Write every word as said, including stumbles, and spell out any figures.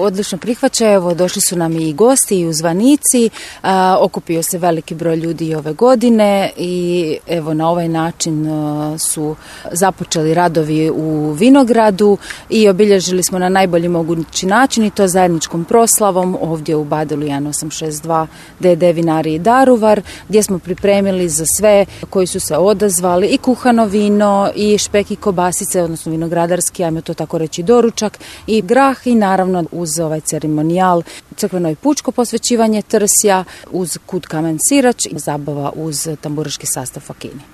Odlično prihvaćaju, evo došli su nam i gosti i uzvanici, a, okupio se veliki broj ljudi i ove godine i evo na ovaj način a, su započeli radovi u vinogradu i obilježili smo na najbolji mogući način i to zajedničkom proslavom ovdje u Badelu jedan osam šest dva D D Vinariji Daruvar, gdje smo pripremili za sve koji su se odazvali i kuhano vino i špek i kobasice, odnosno vinogradarski, ajmo to tako reći, doručak i grah i naravno uz uz ovaj ceremonijal crkveno i pučko posvećivanje trsja, uz kud kamen sirač i zabava uz tamburaški sastav Fakini.